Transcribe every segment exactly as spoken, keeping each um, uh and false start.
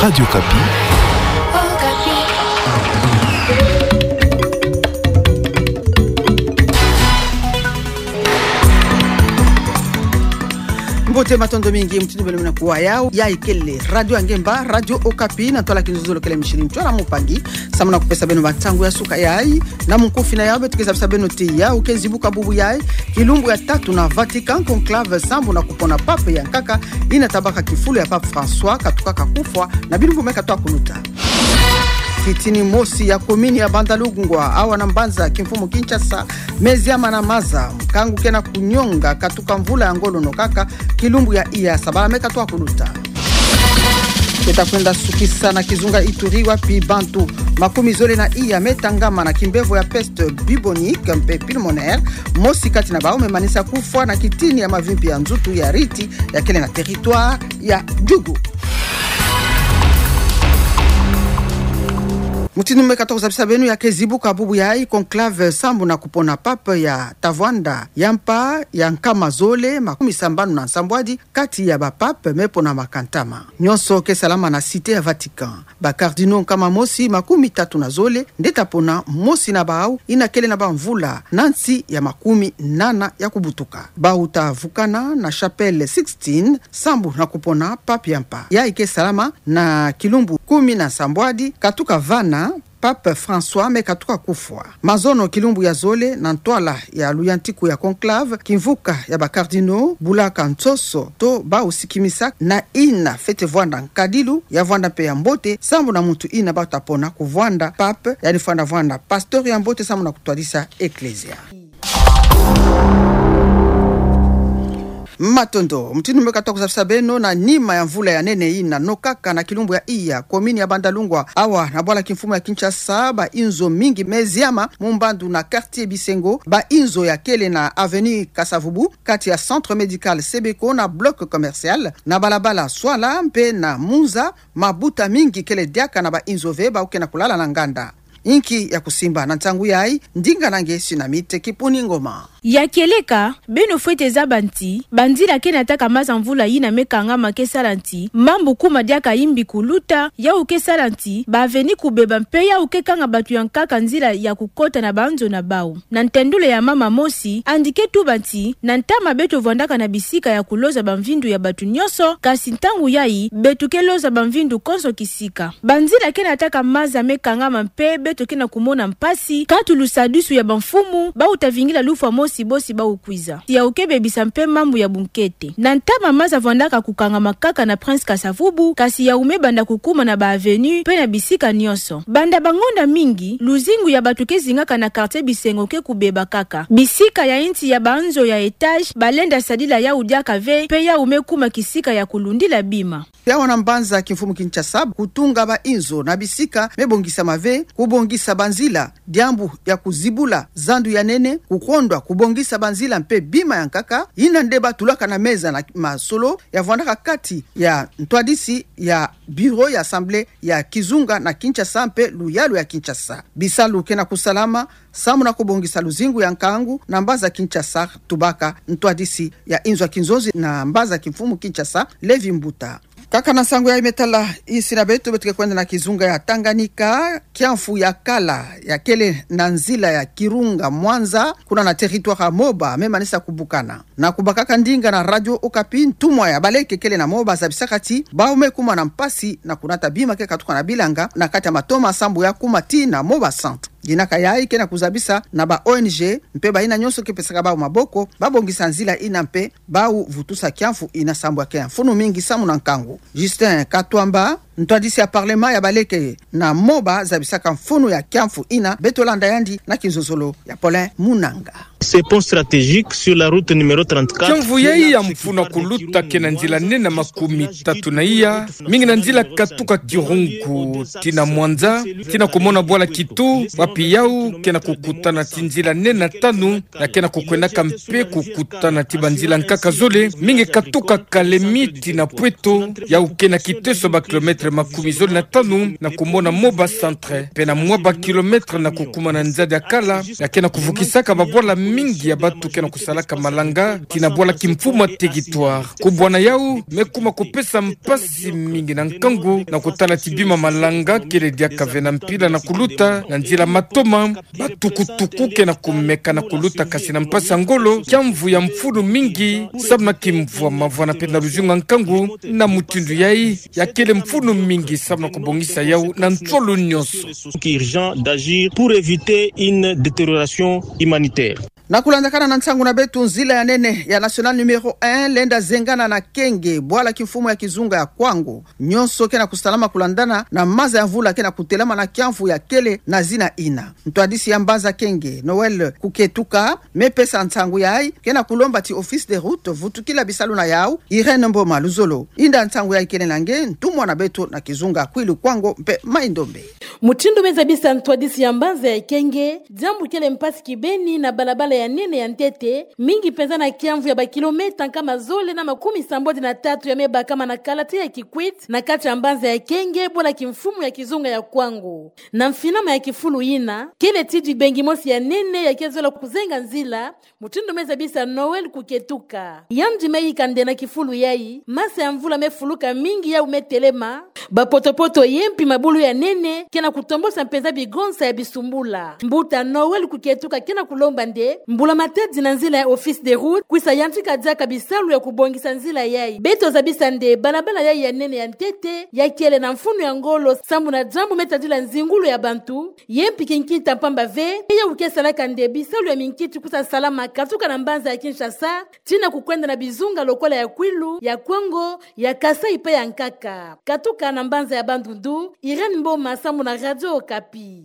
Radio Okapi. Mbote, matondo mingi, mutindu beno mena kuwa yayi, yayi kele Radio Angemba, Radio Okapi, na ntwala kinzonzolo kele Micheline Ntsoila Mpangi, samu na kupesa beno bansangu ya suka yayi. Na mukufi na yawu, beto ke zabisa beno ti yawu ke zibuka bubu yayi, kilumbu ya tatu na Vatican, conclave sambu na kupona pape ya nkaka, ina tabaka kifulu ya Pape François, katukaka kufwa, na bilumbu me katoa kuluta. Kitini mosi ya komini ya Bandalungwa, awa na mbanza kimfumu Kinshasa, me ziama na maza, nkangu ke na kunyonga katuka mvula ya ngolo nokaka, kilumbu ya iya, sabala me katoa kuluta. Ke ta kwenda sukisa na kizunga Ituri, wapi bantu makumi zole na iya me tangama na kimbevo ya peste bubonique mpe pulmonaire, mosi kati na bawu me manisa kufwa na kitini ya mavimpi ya nzutu ya riti ya kele na territoire ya Djugu. Mutindu me katoa kuzabisa beno, ya ke zibuka bubu yayi conclave sambu na kupona pape ya ta vwanda ya mpa ya nkama zole makumi sambanu na nsambwadi kati ya ba pape me ponamaka ntama. Nyonso ke salama na cité ya Vatican. Ba cardinaux nkama mosi makumi tatu na zole nde ta pona, mosi na bawu ina kele na bamvula na nsi ya makumi nana ya kubutuka. Bawu ta vukana na chapelle Sixtine sambu na kupona pape ya mpa. Yayi ke salama na kilumbu kumi na nsambwadi katuka vana Pape François me katuka kufwa. Mazono kilumbu ya zole, na ntwala ya luyantiku ya conclave, kimvuka ya ba cardinaux bulaka nsoso to bawu sikimisa na ina fwete vwanda nkadilu ya vwanda mpe ya mbote sambu na muntu ina bawu ta pona kuvwanda pape, yandi fwanda vwanda pasteur ya mbote sambu na kutwadisa eklezia. Matondo. Mutindu me katoa kuzabisa beno, na nima ya mvula ya nene ina nokaka, na kilumbu ya iya, komini ya Bandalungwa, awa na bwala kimfumu ya Kinshasa, ba inzo mingi me ziama, mu mbandu na quartier Bisengo, ba inzo ya kele na avenue Kasa-Vubu, kati ya centre médical Sebeko na bloc commercial, na balabala Swala mpe na Munza, mabuta mingi kele diaka na ba inzo ve, bawu ke na kulala na nganda. Inki ya kusimba na nsangu yayi? Ndinga na nge Sunamite Kipuni Ngoma. Ya kieleka, beno fwete zaba nti banzila ke nataka maza mvula yina me kangama ke sala nti mambu kuma diaka imbi kuluta, yawu ke sala nti ba avenue kubeba mpe yawu ke kanga batu ya nkaka nzila ya kukota na banzo na bawu. Na ntendule ya mama mosi, yandi ke tuba nti na ntama beto vwandaka na bisika ya kuloza bamvindu ya batu nyonso, kasi ntangu yayi beto ke loza bamvindu konso kisika. Banzila ke nataka maza me kangama mpe beto ke na kumona mpasi, katu lusadisu ya bamfumu, bawu ta vingila lufwa mosi bosi bawu kwiza. Yawu ke bebisa mpe mambu ya bunkete. Na ntama maza vwandaka kukangama kaka na Prince Kasa-Vubu, kasi yawu me banda kukuma na ba avenue mpe na bisika nyonso. Banda bangonda mingi, luzingu ya batu ke zingaka na quartier Bisengo ke kubeba kaka. Bisika ya nti ya banzo ya étage, balenda sadila yawu diaka ve, mpe yawu me kuma kisika ya kulundila bima. Awa na mbanza kimfumu Kinshasa, kutunga ba inzo na bisika me bongisama ve, kubongisa banzila, diambu ya kuzibula zandu ya nene, kukondwa kubongisa banzila mpe bima ya nkaka, yina nde batulaka na meza na masolo ya vwandaka kati ya ntwadisi ya bureau ya assemblée ya kizunga na Kinshasa mpe luyalu ya Kinshasa. Bisalu ke na kusalama samu na kubongisa luzingu ya nkangu na mbanza Kinshasa, tubaka ntwadisi ya inzo ya kinzonzi na mbanza kimfumu Kinshasa, Lévi Mbuta. Kaka na nsangu yayi me tala insi na beto, beto ke kwenda na kizunga ya Tanganyika, kiamfu ya kala ya kele na nzila ya Kirunga Mwanza, kuna na territoire ya Moba, me manisa kubukana. Na kubakaka ndinga na Radio Okapi, ntumwa ya baleke kele na Moba zabisaka ti bawu me kuma na mpasi na kunata bima ke katuka na bilanga na kati ya matoma sambu ya kuma tii na Moba Centre. Dinaka yayi ke na kuzabisa na ba O N G mpe bayina nyonso ke pesaka bawu maboko, babongisa nzila yina mpe bawu vutusa kiamfu yina sambu ya ke ya mfunu mingi samu na nkangu. Justin Katwamba, ntwadisi ya parlement ya baleke na Moba, zabisaka mfunu ya kiamfu yina, beto landa yandi na kinzonzolo ya Paulin Munanga. Ce pont stratégique sur la route numéro trente-quatre. Kiamfu yayi ya mfunu ya kuluta ke na nzila nene makumi tatu na iya, mingi na nzila katuka Kirungu tii na Mwanza, tii na kumona bwala Kitu, wapi yawu ke na kukutana tii nzila nene tanu, ya ke na kukwendaka mpe kukutana tii banzila nkaka zole, mingi katuka Kalemi tii na Pweto, yawu ke na kiteso ba kilomètre makumizole na tanu na kumona Moba Centre, pena mwa ba kilomètre na kukuma na nzadi ya kala, ya ke na kuvukisaka babwala mingi ya bantu ke na kusalaka malanga, tii na bwala kimfumu ya territoire. Kubwana yau, me kuma kupesa mpasi mingi na nkangu na kutala ti bima malanga kele diaka ve na mpila na kuluta na nzila matoma, ba tukutuku ke na kumeka na kuluta kasi na mpasi ya ngolo, kiamvu ya mfunu mingi, samu na kimvwama vwamana pena luzingu ya nkangu. Na mutindu yayi, ya kele mfunu mingi samu na kubongisa yau na nsolo nyonso. Urgent d'agir pour éviter une détérioration humanitaire. Na kulandakana na nsangu na beto, nzila ya nene ya nationale numéro un lenda zengana na Kenge, bwala kimfumu ya kizunga ya Kwango. Nyonso ke na kusalama kulandana na maza ya mvula ke na kutelama na kiamvu ya kele na zina ina. Ntwadisi ya mbanza Kenge, Noël Kuketuka, me pesa nsangu yayi, ke na kulomba ti Office des Routes vutukila bisalu na yau. Irène Mboma Luzolo, inda nsangu yayi kele na nge, ntumwa na beto na kizunga Kwilu, Kwango mpe Maï-Ndombe. Mutindu me zabisa ntwadisi ya mbanza ya Kenge, diambu kele mpasi kibeni na balabala ya nene ya ntete, mingi penza na kiamvu ya ba kilomètre nkama zole na makumi sambodi na tatu ya me bakama na kalati ya Kikwit, na kati ya mbanza ya Kenge, bwala kimfumu ya kizunga ya Kwango. Na mfinama ya kifulu ina, kele ti dibengi mosi ya nene ya ke zola kuzenga nzila, mutindu me zabisa Noël Kuketuka. Yandi me yika nde na kifulu yayi, masa ya mvula me fuluka mingi, yau me telema, ba potopoto ye mpi mabulu ya nene ke na kutombosa mpenza bigonsa ya bisumbula. Mbuta Noël Kuketuka ke na kulomba nde Mbula Matadi na nzila ya Office des Routes kwisa yantika diaka bisalu ya kubongisa nzila yayi. Beto zabisa nde balabala yayi ya nene ya ntete ya kele na mfunu ya ngolo, samu na diambu me tadila nzingulu ya bantu, ye mpi kinkita mpamba ve, yau ke salaka nde bisalu ya minkiti kwisa salama katuka na mbanza ya Kinshasa tii na kukwenda na bizunga lokola ya Kwilu, ya Kwango, ya Kasaï mpe ya Nkaka. Katuka na mbanza ya Bandundu, Irène Mboma, samu na Radio Okapi.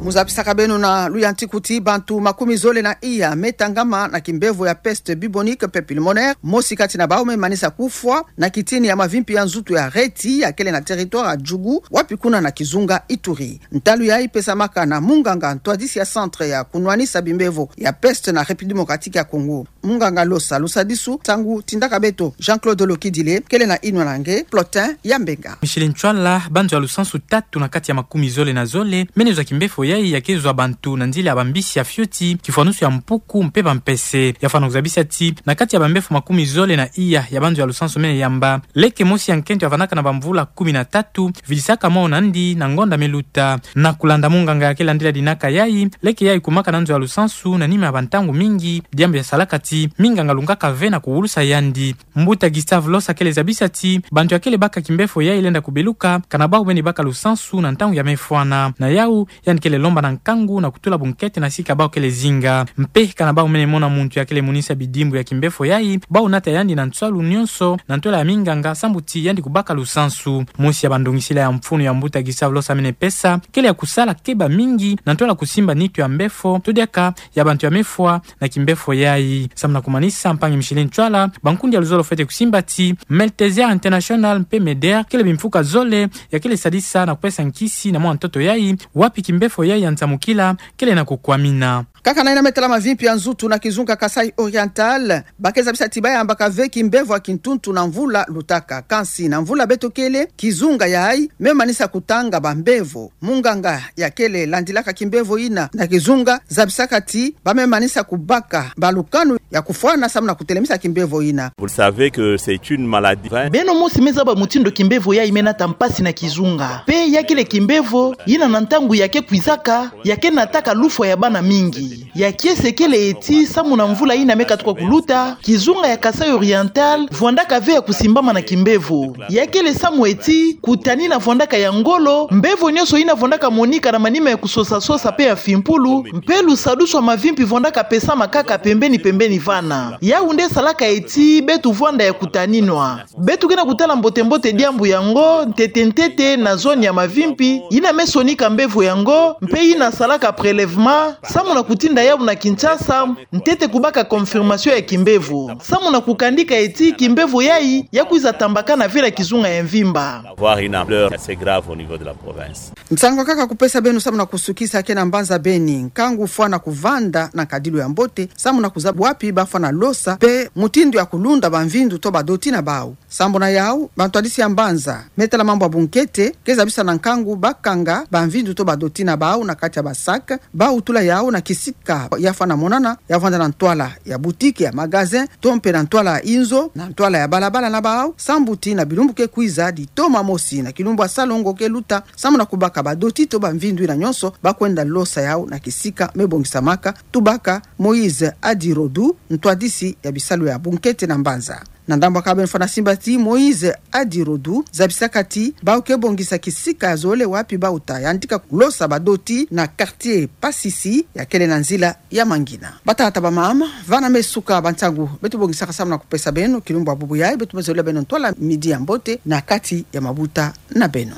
Mu zabisaka beno na luyantiku ti bantu makumi zole na iya me tangama na kimbevo ya peste bubonique mpe pulmonaire, mosi kati na bau me manisa kufwa na kitini ya mavimpi ya nzutu ya reti ya kele na territoire ya Djugu, wapi kuna na kizunga Ituri. Ntalu yayi pesamaka na munganga ntwadisi ya centre ya kunwanisa bimbevo ya peste na République Démocratique ya Congo. Munganga Losa Lusadisu, nsangu tindaka beto Jean-Claude Lokidile, kele na inwa na nge, Plotin Yambenga. Micheline Ntsoila, banzo ya lusansu tatu na kati ya makumi zole na zole mene zwa kimbevo yayi ya ke zwa bantu na nzila ya bambisi ya fioti, kifwanusu ya mpuku mpe bampese. Ya fwana kuzabisa ti na kati ya bambevo makumi zole na iya ya banzo ya lusansu mene yamba, leke mosi ya nkento ya vandaka na bamvula kumi na tatu vidisaka mwana andi na ngonda me luta. Na kulanda munganga ya ke landila dinaka yayi, leke yayi kumaka na nzo ya lusansu na nima ya bantangu mingi, diambu ya salaka ti minganga lungaka ve na kuwulusa yandi. Mbuta Gustave Losa kele zabisa ti bantu ya kele baka kimbevo yayi lenda kubeluka kana bau beni baka lusansu na ntangu ya me fwana. Na yau, yandi kele lomba na nkangu na kutula bunkete na sika bau kele zinga. Mpe kana bau mene mona muntu ya kele monisa bidimbu ya kimbevo yayi, bau nata yandi na nswalu nyonso na ntwela ya minganga sambu ti yandi kubaka lusansu. Mosi ya bandongisila ya mfunu ya mbuta Gustave Losa mene pesa kele ya kusala keba mingi na ntwela kusimba nitu ya mbevo, to diaka ya bantu ya me fwa na kimbevo yayi. Samu na kumanisa, mpangi Micheline Ntsoila, bankundi ya luzolo fwete kusimba ti Malteser International mpe MEDER kele bimfuka zole ya kele sadisa na kupesa nkisi na mwana ntoto yayi, wapi kimbevo yayi ya nsamukila kele na kukwamina. Kaka na yina me tala mavimpi ya nzutu na kizunga Kasaï Oriental, ba ke zabisa ti ba yambaka ve kimbevo ya kintuntu na mvula lutaka. Kansi na mvula beto kele, kizunga yayi me manisa kutanga bambevo. Munganga ya kele landilaka kimbevo yina na kizunga zabisaka ti ba me manisa kubaka balukanu ya kufwana samu na kutelemisa kimbevo yina. Vous le savez que c'est une maladie. Beno mosi me zaba mutindu kimbevo yayi me nata mpasi na kizunga. Mpe ya kele kimbevo yina na ntangu ya ke kwizaka, ya ke nataka lufwa ya bana mingi. Ya kiese kele eti samu na mvula yina me katuka kuluta, kizunga ya Kasaï Oriental vwandaka ve ya kusimbama na kimbevo. Ya kele samu eti kutanina vwandaka ya ngolo, mbevo nyonso yina vwandaka monika na manima ya kusosa-sosa mpe ya fimpulu, mpe lusadusu ya mavimpi vwandaka pesama kaka pembeni-pembeni vana. Yau nde salaka eti beto vwanda ya kutaninwa. Beto ke na kutala mbote-mbote diambu yango ntete-ntete na zone ya mavimpi yina me sonika mbevo yango, mpe yina salaka prélèvement samu na ku- Tinda yau na Kinshasa, ntete kubaka confirmation ya kimbevo. Samu na kukandika eti kimbevo yayi, ya kwiza tambakana ve na kizunga ya mvimba. Avoir une ampleur assez grave au niveau de la province. Nsangu kaka kupesa beno samu na kusukisa ke na mbanza Beni, nkangu fwana kuvanda na nkadilu ya mbote, samu na kuzaba wapi bafwana losa, mpe mutindu ya kulunda bamvindu to badoti na bau. Sambu na yau, bantwadisi ya mbanza, Me Tala Mambu ya Bunkete, ke zabisa na nkangu bakanga bamvindu to badoti na bau na kati ya ba sac, bau tula yau na kisika ya fwana monana, ya vanda na ntwala ya boutique, ya magasin, to mpe na ntwala ya inzo, na ntwala ya balabala na bau, sambu ti na bilumbu ke kwiza, ditoma mosi na kilumbu ya salongo ke luta, samu na kubaka badoti to bamvindu yina nyonso, bakwenda losa yau na kisika me bongisamaka, tubaka Moïse Adirodu, ntwadisi ya bisalu ya bunkete na mbanza. Na ndambu ya kabeno fwana simba ti Moïse Adirodu, zabisaka ti, bau ke bongisa kisika ya zole wapi bau ta yantika losa badoti na quartier Pasisi, ya kele na nzila ya Mangina. Batata bamama, vana me suka bansangu beto bongisaka samu na kupesa beno, kilumbu ya bubu yayi, beto me zolila beno ntwala midi ya mbote, na kati ya mabuta na beno.